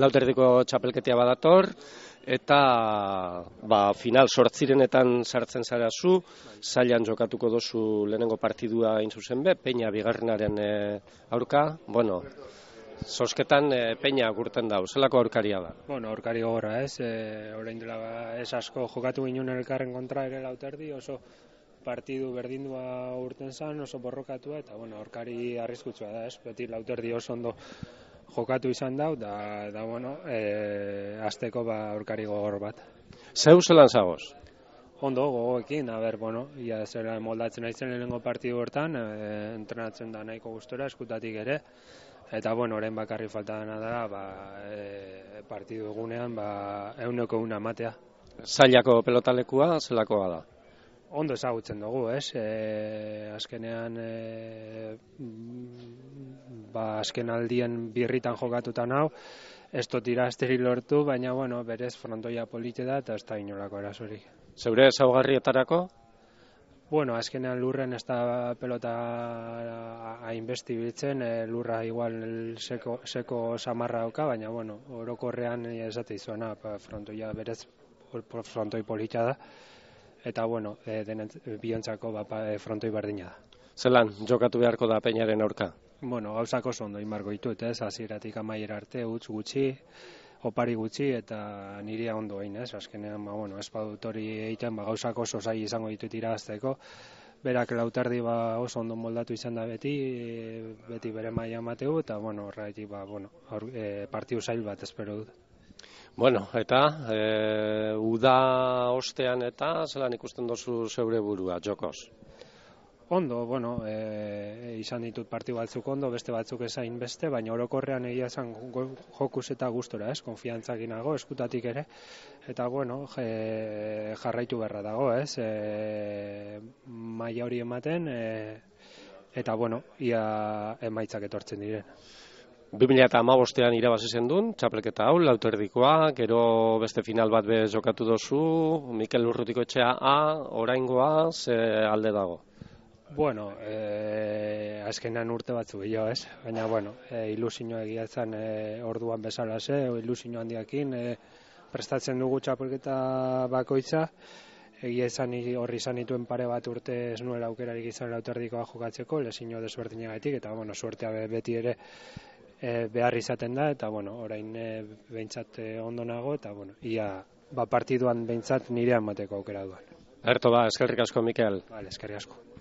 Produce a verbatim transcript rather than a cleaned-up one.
Lauterdiko txapelketea badator, eta ba, final sortzirenetan sartzen zara zu, zailan jokatuko dozu lehenengo partidua hain zuzen be, Peña bigarrenaren e, aurka, bueno, zozketan e, Peña gurten dau, zelako aurkaria da? Bueno, aurkari gogorra ez, e, orain dela ez asko jokatu ginen elkarren kontra ere Lauterdi, oso partidu berdindua urten zan, oso borrokatua, eta bueno, aurkari arriskutsua da ez, beti Lauterdi oso ondo jokatu izan dau, da, da bueno, e, azteko ba aurkari gogor bat. Zeu zelan zagoz? Ondo, gogoekin, a ber, bueno, ia zera moldatzen aizen lehenengo partidu hortan, e, entrenatzen da nahiko gustora, eskutatik ere, eta bueno, orain bakarri falta dena da, ba, e, partidu egunean, ba, euneko una matea. Zailako pelotalekua, zelakoa da? Ondo ezagutzen dugu, ez? E, azkenean, e, ba, azken aldien birritan jokatutan hau, ez dut irasteri lortu, baina, bueno, berez frontoia polite da, eta ez da inolako erasorik. Zeure ezaugarrietarako? Bueno, azkenean lurren ez da pelota hainbesti biltzen, e, lurra igual seko, seko samarra dauka, baina, bueno, orokorrean esate izuena, ba, frontoia berez frontoi polita da, eta, bueno, e, denen biontzako ba, frontoi berdina da. Zelan, jokatu beharko da Peñaren aurka? Bueno, gauzak oso ondo inbarko ditut, ez, hasieratik amaiera arte, utz gutxi, opari gutxi, eta nirea ondo egin, ez, azkenean, ba, bueno, ez badut hori egiten, ba, gauzak oso zail izango ditut irabazteko, berak Lauterdi ba, oso ondo moldatu izan da beti, beti bere maila mateu, eta, bueno, horregatik, ba, bueno, hor, e, partidu zail bat espero dut. Bueno, eta e, uda ostean eta zelan ikusten dozu zeure burua, jokoz? Ondo, bueno, e, izan ditut partidu batzuk ondo, beste batzuk ezain beste, baina orokorrean egia esan jokus eta gustora, ez, konfiantzakin nago, eskutatik ere, eta, bueno, e, jarraitu beharra dago, ez, e, maila hori ematen, e, eta, bueno, ia emaitzak etortzen diren. bi mila hamabostean irabazi zendun, txapelketa hau, Lauterdikoa, gero beste final bat be jokatu dozu, Mikel Urrutikoetxea A, oraingoa, ze alde dago? Bueno, eh, azkenan urte batzu gehiago, ez? Baina, bueno, eh, ilusioa egia zen eh, orduan bezala ze, ilusio handiakin eh, prestatzen dugu txapelketa bakoitza, egia izan horri izan dituen pare bat urte ez nuela aukerarik izan Lauterdikoa jokatzeko, lesio desberdinagatik, eta, bueno, suertea beti ere e, behar izaten da, eta, bueno, orain e, behintzat e, ondo nago, eta, bueno, ia ba, partiduan behintzat nirean mateko aukera duan. Erto ba, eskerrik asko, Mikel. Vale, eskerrik asko.